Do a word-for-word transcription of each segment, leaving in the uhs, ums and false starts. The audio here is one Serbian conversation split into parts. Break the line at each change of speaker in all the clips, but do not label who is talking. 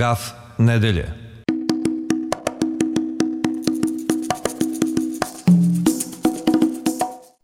Gaf nedelje.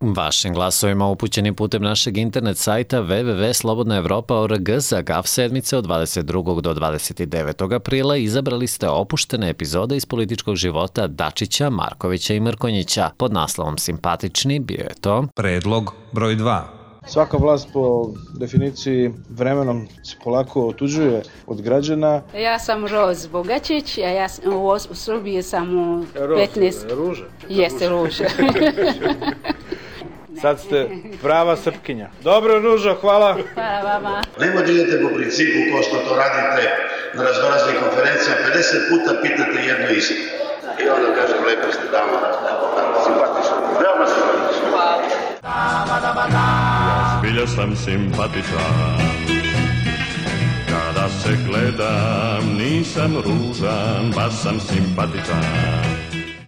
Vašim glasovima upućenim putem našeg internet sajta w w w tačka slobodna evropa tačka org za Gaf sedmice od dvadeset drugog do dvadeset devetog aprila izabrali ste opuštene epizode iz političkog života Dačića, Markovića i Mrkonjića. Pod naslovom Simpatični bio je to
Predlog broj dva.
Svaka vlast po definiciji vremenom se polako otuđuje od građana.
Ja sam Roz Bogačić, a ja sam, u, u Srbiji sam u petnaest...
Ruža.
Jeste Ruža.
Sad ste prava Srpkinja. Dobro, Ružo, hvala.
Hvala vama.
Nemoj da idete po principu kao što to radite na raznoraznim konferencijama, pedeset puta pitate jedno isto. I onda kažem, lepo ste dama, simpatično. Veoma simpatično. Hvala.
Ja zbilja sam simpatičan, kada se gledam nisam ružan, baš sam simpatičan.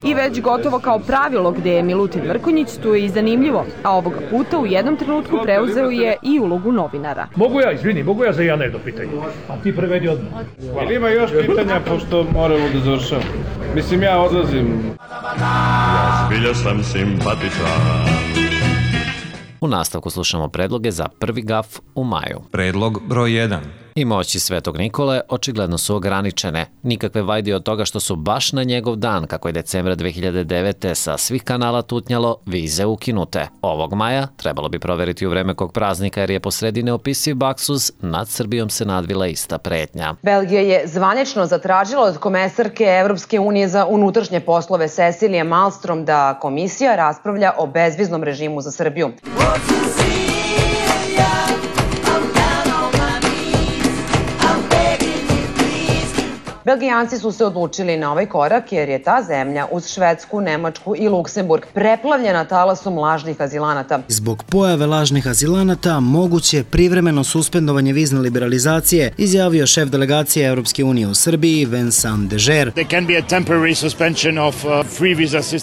I već gotovo kao pravilo gde je Milutin Mrkonjić, tu je i zanimljivo, a ovoga puta u jednom trenutku preuzeo je i ulogu novinara.
Mogu ja, izvini, mogu ja za jedan jedno pitanje? A ti prevedi odmah.
Ili ima još pitanja, pošto moramo da završamo? Mislim, ja odlazim.
Ja zbilja sam simpatičan.
U nastavku slušamo predloge za prvi Gaf u maju.
Predlog broj jedan.
I moći Svetog Nikole očigledno su ograničene. Nikakve vajde od toga što su baš na njegov dan, kako je decembra dve hiljade devete sa svih kanala tutnjalo, vize ukinute. Ovog maja trebalo bi proveriti u vreme kog praznika jer je po sredi neopisiv baksuz, nad Srbijom se nadvila ista pretnja.
Belgija je zvanično zatražila od komesarke Evropske unije za unutrašnje poslove Cecilije Malmstrom da komisija raspravlja o bezviznom režimu za Srbiju. Belgijanci su se odlučili na ovaj korak jer je ta zemlja uz Švedsku, Nemačku i Luksemburg preplavljena talasom lažnih azilanata.
Zbog pojave lažnih azilanata moguće privremeno suspendovanje vizne liberalizacije, izjavio šef delegacije Evropske unije u Srbiji Vincent Deger.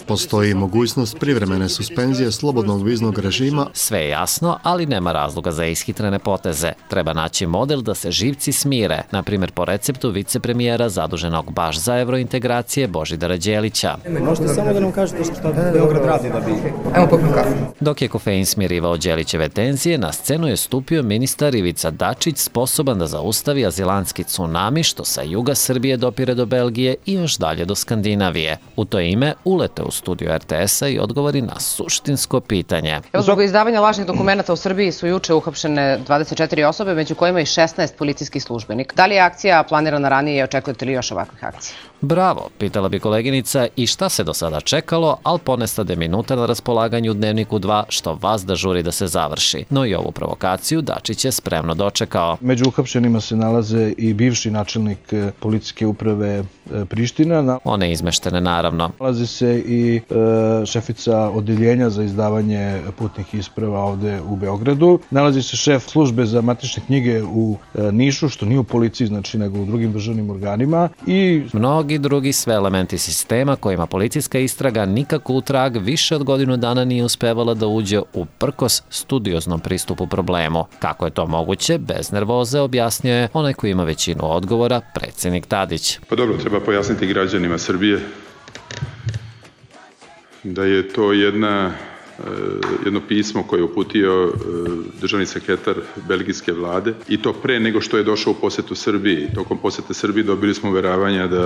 Postoji mogućnost privremene suspenzije slobodnog viznog režima.
Sve je jasno, ali nema razloga za ishitrene poteze. Treba naći model da se živci smire, na primjer po receptu vicepremijera zaduženog baš za evrointegracije Božidara Đelića.
Možete samo da nam kažete šta Beograd radi da bi... Evo popim kafu.
Dok je kofein smirivao Đelićeve tenzije, na scenu je stupio ministar Ivica Dačić, sposoban da zaustavi azilantski tsunami što sa juga Srbije dopire do Belgije i još dalje do Skandinavije. U to ime ulete u studiju er te esa i odgovori na suštinsko pitanje.
Zbog izdavanja lažnih dokumenata u Srbiji su juče uhapšene dvadeset četiri osobe, među kojima i šesnaest policijskih službenika. Da li je akcija planirana ranije i očekujete li još ovakvih akcija?
Bravo, pitala bi koleginica i šta se do sada čekalo, ali ponestade minuta na raspolaganju u Dnevniku dva što vas da žuri da se završi. No i ovu provokaciju Dačić je spremno dočekao.
Među uhapšenima se nalaze i bivši načelnik policijske uprave Priština.
One izmeštene naravno.
Nalazi se i e, šefica odeljenja za izdavanje putnih isprava ovde u Beogradu. Nalazi se šef službe za matične knjige u e, Nišu, što nije u policiji, znači nego u drugim državnim organima. I
mnogi drugi sve elementi sistema kojima policijska istraga nikako u trag više od godinu dana nije uspevala da uđe u prkos studioznom pristupu problemu. Kako je to moguće, bez nervoze objasnio je onaj koji ima većinu odgovora, predsjednik Tadić.
Pa dobro, treba pojasniti građanima Srbije da je to jedna, jedno pismo koje je uputio državni sekretar belgijske vlade i to pre nego što je došao u posetu Srbiji. Tokom posete Srbiji dobili smo uveravanja da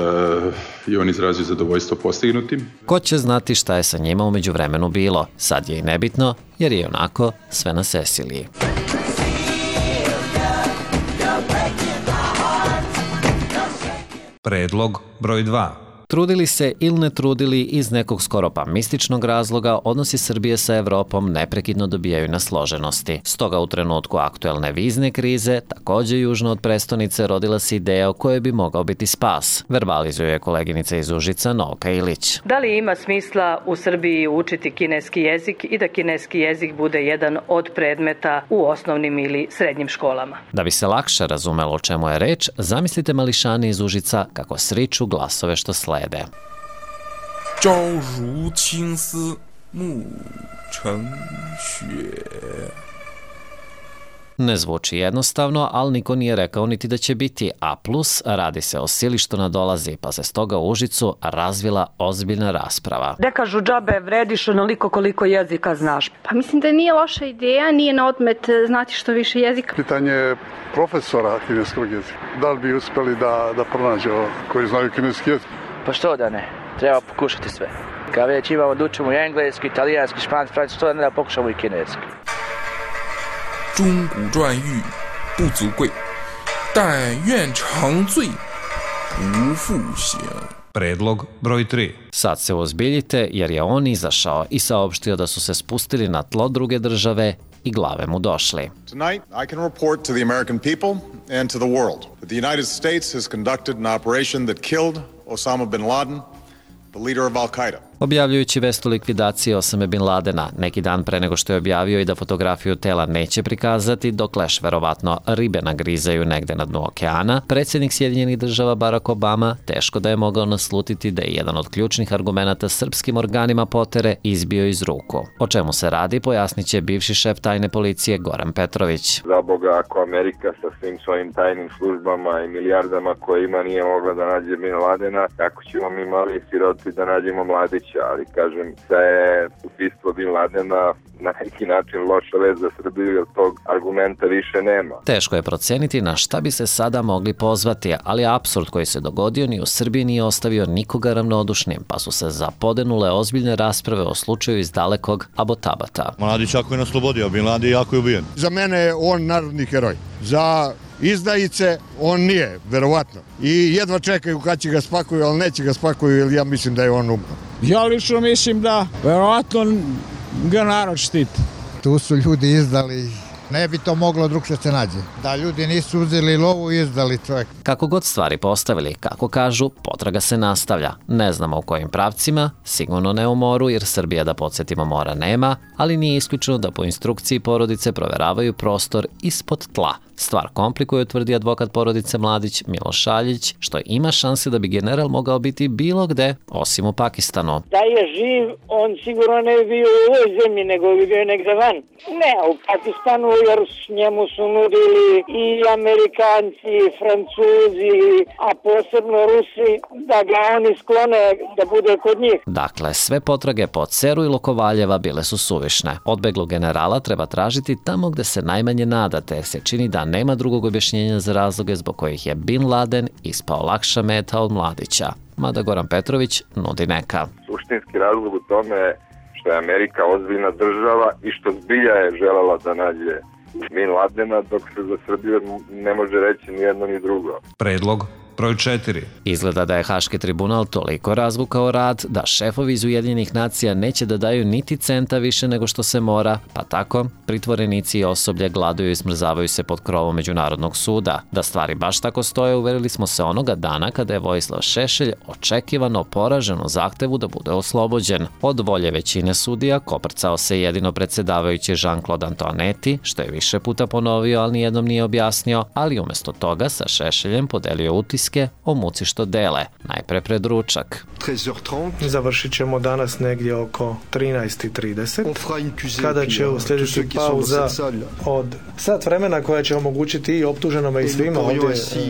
je on izrazio zadovoljstvo postignutim.
Ko će znati šta je sa njima umeđu vremenu bilo? Sad je i nebitno jer je onako sve na Ceciliji.
Predlog broj dva.
Trudili se ili ne trudili, iz nekog skoro pa mističnog razloga, odnosi Srbije sa Evropom neprekidno dobijaju na složenosti. Stoga u trenutku aktuelne vizne krize, takođe južno od prestonice, rodila se ideja o kojoj bi mogao biti spas. Verbalizuje koleginica iz Užica Novka Ilić.
Da li ima smisla u Srbiji učiti kineski jezik i da kineski jezik bude jedan od predmeta u osnovnim ili srednjim školama?
Da bi se lakše razumelo o čemu je reč, zamislite mališane iz Užica kako sriču glasove što slede.
朝如青丝暮成雪
Ne zvuči jednostavno, ali niko nije rekao niti da će biti A plus, radi se o sili što nadolazi, pa se stoga u Užicu razvila ozbiljna rasprava.
Da kažu džabe vrediš onoliko koliko jezika znaš.
Pa mislim da nije loša ideja, nije na odmet znati što više jezika.
Pitanje profesora kineskog jezika. Da li bi uspeli da, da pronađe koji znaju kineski jezik?
Pa što da ne? Treba pokušati sve. Kad već imamo da učimo i engleski, italijanski, španski, francuski, što da ne da pokušamo i kineski.
钟鼓馔玉不足贵，但愿长醉不复醒。
Predlog broj tri.
Sad se uozbiljite jer je on izašao i saopštio da su se spustili na tlo druge države i glave mu došli.
Tonight I can report to the American people and to the world that the United States has conducted an operation that killed Osama bin Laden, the leader of Al-Qaeda.
Objavljujući vest o likvidaciji Osame bin Ladena, neki dan pre nego što je objavio i da fotografiju tela neće prikazati, dok leš verovatno ribe nagrizaju negde na dnu okeana, predsjednik Sjedinjenih država Barack Obama teško da je mogao naslutiti da je jedan od ključnih argumenata srpskim organima potere izbio iz ruku. O čemu se radi, pojasnit će bivši šef tajne policije Goran Petrović.
Za Boga, ako Amerika sa svim svojim tajnim službama i milijardama koje ima nije mogla da nađe bin Ladena, kako ćemo mi mali siroti da nađemo mladić? Ali kažem da je ubistvo bin Ladena na neki način loša vez za Srbiju, jer tog argumenta više nema.
Teško je proceniti na šta bi se sada mogli pozvati, ali apsurd koji se dogodio ni u Srbiji nije ostavio nikoga ravnodušnim, pa su se zapodenule ozbiljne rasprave o slučaju iz dalekog Abotabata.
Mladić ako je na slobodi, a bin Laden jako je ubijen.
Za mene je on narodni heroj. Za izdajice on nije, verovatno. I jedva čekaju kad će ga spakuju, ali neće ga spakuju, jer ja mislim da je on umro.
Ja lično mislim da verovatno ga narod štiti.
Tu su ljudi izdali, ne bi to moglo drugče se nađe. Da ljudi nisu uzeli lovu i izdali čovjek.
Kako god stvari postavili, kako kažu, potraga se nastavlja. Ne znamo u kojim pravcima, sigurno ne u moru, jer Srbija, da podsjetimo, mora nema, ali nije isključeno da po instrukciji porodice proveravaju prostor ispod tla. Stvar komplikuje, tvrdi advokat porodice Mladić Miloš Šaljić, što ima šanse da bi general mogao biti bilo gde, osim u Pakistanu.
Da je živ, on sigurno ne bi bio u ovoj zemlji, nego bi bio negde van. Ne, u Pakistanu, jer njemu su nudili i Amerikanci, i Francuzi, a posebno Rusi, da ga oni sklone da bude kod njih.
Dakle, sve potrage po Ceru i Lokovaljeva bile su suvišne. Odbeglu generala treba tražiti tamo gde se najmanje nadate, jer se čini da nema drugog objašnjenja za razloge zbog kojih je bin Laden ispao lakša meta od Mladića. Mada Goran Petrović nudi neka.
Suštinski razlog u tome što je Amerika ozbiljna država i što zbilja je želela da nađe bin Ladena, dok se za Srbiju ne može reći ni jedno ni drugo.
Predlog broj četiri.
Izgleda da je Haški tribunal toliko razvukao rad da šefovi iz Ujedinjenih nacija neće da daju niti centa više nego što se mora, pa tako pritvorenici i osoblje gladuju i smrzavaju se pod krovom Međunarodnog suda. Da stvari baš tako stoje, uverili smo se onoga dana kada je Vojislav Šešelj očekivano poražen u zahtevu da bude oslobođen. Od volje većine sudija koprcao se jedino predsjedavajući Jean-Claude Antoinetti, što je više puta ponovio, ali nijednom nije objasnio, ali umjesto toga sa Šešeljem podelio utiske o muci što dele, najpre pred ručak.
Završit ćemo danas negdje oko trinaest i trideset, kada će uslijediti pauza od sat vremena koja će omogućiti i optuženome i svima ovdje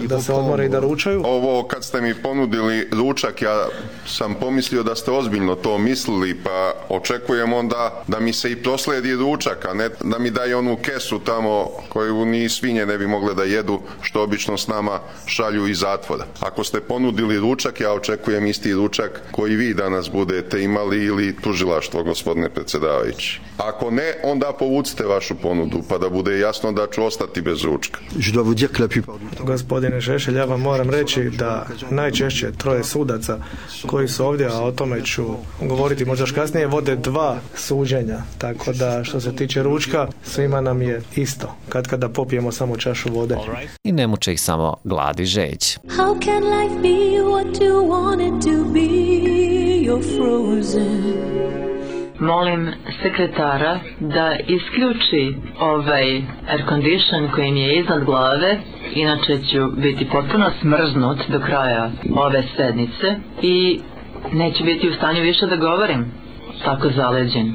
da se odmore i da ručaju.
Ovo kad ste mi ponudili ručak, ja sam pomislio da ste ozbiljno to mislili, pa očekujem onda da mi se i proslijedi ručak, a ne da mi daje onu kesu tamo koju ni svinje ne bi mogle da jedu, što obično s nama šalju iz zatvora. Ako ste ponudili ručak, ja očekujem isti ručak koji vi danas budete imali ili tužilaštvo, gospodine predsjedavajući. Ako ne, onda povucite vašu ponudu, pa da bude jasno da ću ostati bez ručka.
Gospodine Šešelj, ja vam moram reći da najčešće troje sudaca koji su ovdje, a o tome ću govoriti možda kasnije, vode dva suđenja. Tako da što se tiče ručka, svima nam je isto. Kad kada popijemo samo čašu vode.
I ne muče ih samo glad i žeđ.
How can life be what you want it to be? You're frozen.
Molim sekretara da isključi ovaj air condition koji mi je iznad glave, inače ću biti potpuno smrznut do kraja ove sednice i neću biti u stanju više da govorim, tako zaleđen.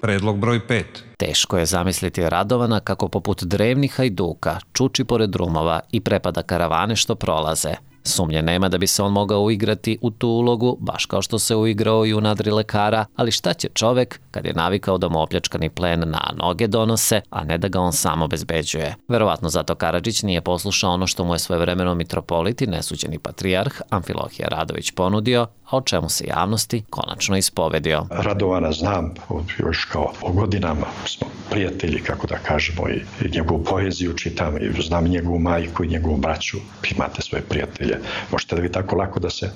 Predlog broj pet.
Teško je zamisliti Radovana kako poput drevnih hajduka čuči pored drumova i prepada karavane što prolaze. Sumnje nema da bi se on mogao uigrati u tu ulogu, baš kao što se uigrao i u nadri lekara, ali šta će čovek kad je navikao da mu opljačkani plen na noge donose, a ne da ga on sam obezbeđuje. Verovatno zato Karadžić nije poslušao ono što mu je svojevremeno mitropolit i nesuđeni patrijarh Amfilohije Radović ponudio, a o čemu se javnosti konačno ispovedio.
Radovana znam, još kao po godinama smo prijatelji, kako da kažemo, i njegovu poeziju čitam, i znam njegovu majku i njegovu braću, imate svoje prijatelje. Možete da vi tako lako da se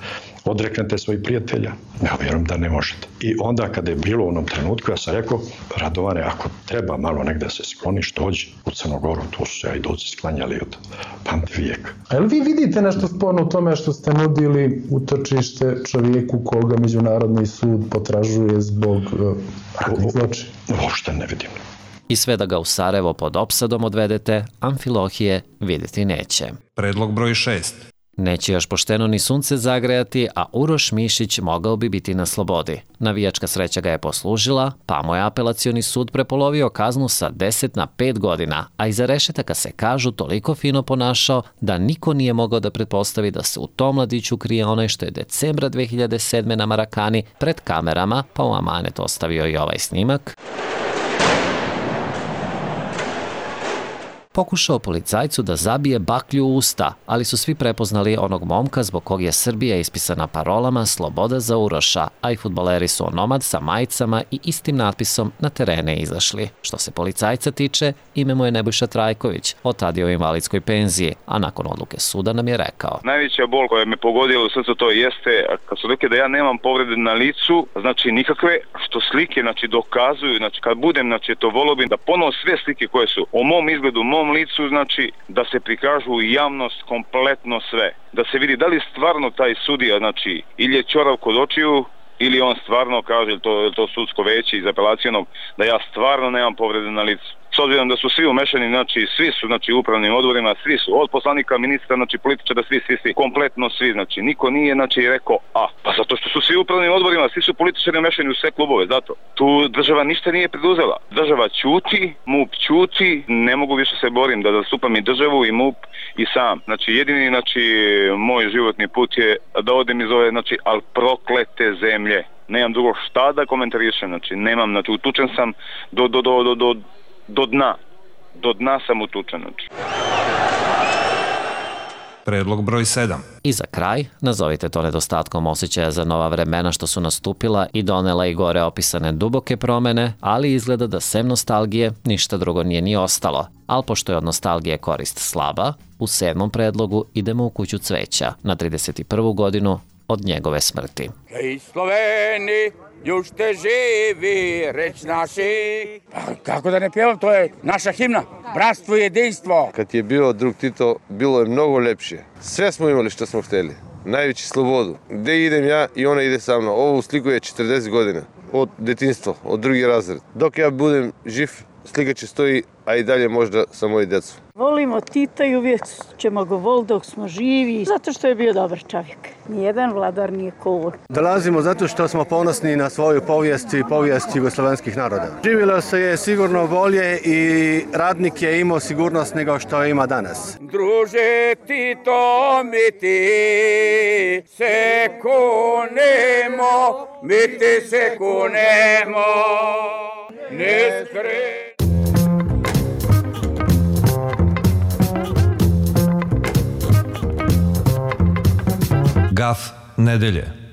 odreknete svojih prijatelja? Ja vjerujem da ne možete. I onda kada je bilo u onom trenutku, ja sam rekao, Radovane, ako treba malo negde se skloniš, dođi u Crnogoru, tu su se ajduci sklanjali od pamti vijeka.
A li vi vidite nešto sporno u tome što ste nudili utočište čovjeku koga Međunarodni sud potražuje zbog uh, ratnih zločina?
Uopšte ne vidim.
I sve da ga u Sarajevo pod opsadom odvedete, Amfilohije vidjeti neće.
Predlog broj šest.
Neće još pošteno ni sunce zagrejati, a Uroš Mišić mogao bi biti na slobodi. Navijačka sreća ga je poslužila, pa mu je apelacioni sud prepolovio kaznu sa deset na pet godina, a iza rešetaka se kažu toliko fino ponašao da niko nije mogao da pretpostavi da se u tom mladiću krije onaj što je decembra dve hiljade sedme na Marakani pred kamerama, pa u amanet ostavio i ovaj snimak. Pokušao policajcu da zabije baklju u usta, ali su svi prepoznali onog momka zbog kog je Srbija ispisana parolama Sloboda za Uroša, a i fudbaleri su onomad sa majicama i istim natpisom na terene izašli. Što se policajca tiče, ime mu je Nebojša Trajković, od tad je u invalidskoj penziji, a nakon odluke suda nam je rekao.
Najveća bol koja me pogodila u srcu to jeste, kad su rekli da ja nemam povrede na licu, znači nikakve, što slike znači dokazuju, znači kad budem, znači to volio bih da ponovo sve slike koje su o mom izgledu, mom licu, znači da se prikažu u javnost kompletno sve. Da se vidi da li stvarno taj sudija, znači ili je ćorav kod očiju, ili on stvarno kaže, to je to sudsko veće iz apelacijonog, da ja stvarno nemam povrede na licu. S obzirom da su svi umešani, znači svi su znači u upravnim odborima, svi su od poslanika, ministra, znači političara, svi, svi, svi, kompletno svi, znači niko nije znači rekao a, pa zato što su svi u upravnim odborima, svi su političari umešani u sve klubove, zato. Tu država ništa nije preduzela. Država ćuti, MUP ćuti, ne mogu više se borim da zastupam i državu i MUP i sam. Znači jedini znači moj životni put je da odem iz ove, znači, al proklete zemlje. Nemam drugo šta da komentarišem, znači nemam, znači utučen sam do, do, do, do, do do dna. Do dna sam utučen.
Predlog broj sedam.
I za kraj, nazovite to nedostatkom osjećaja za nova vremena što su nastupila i donela i gore opisane duboke promene, ali izgleda da sem nostalgije ništa drugo nije ni ostalo. Ali pošto je od nostalgije korist slaba, u sedmom predlogu idemo u kuću cveća na trideset prvu godinu od njegove smrti.
Hej Sloveni, još te živi, reć naši. Pa kako da ne pjevam, to je naša himna, bratstvo i jedinstvo.
Kad je bio drug Tito, bilo je mnogo lepše. Sve smo imali što smo hteli, najveći slobodu. Gde idem ja i ona ide sa mnom. Ovo sliku je četrdeset godina, od detinjstva, od drugi razred. Dok ja budem živ, slika će stoji, a i dalje možda sa moji decu.
Volimo Tita i uvijek ćemo go voliti dok smo živi, zato što je bio dobar čovjek. Nijedan vladar nije cool.
Dolazimo zato što smo ponosni na svoju povijest i povijest jugoslovenskih naroda. Živjelo se je sigurno bolje i radnik je imao sigurnost nego što ima danas.
Druže Tito, mi ti se kunemo, mi ti se kunemo, ne skre...
Gaf nedelje.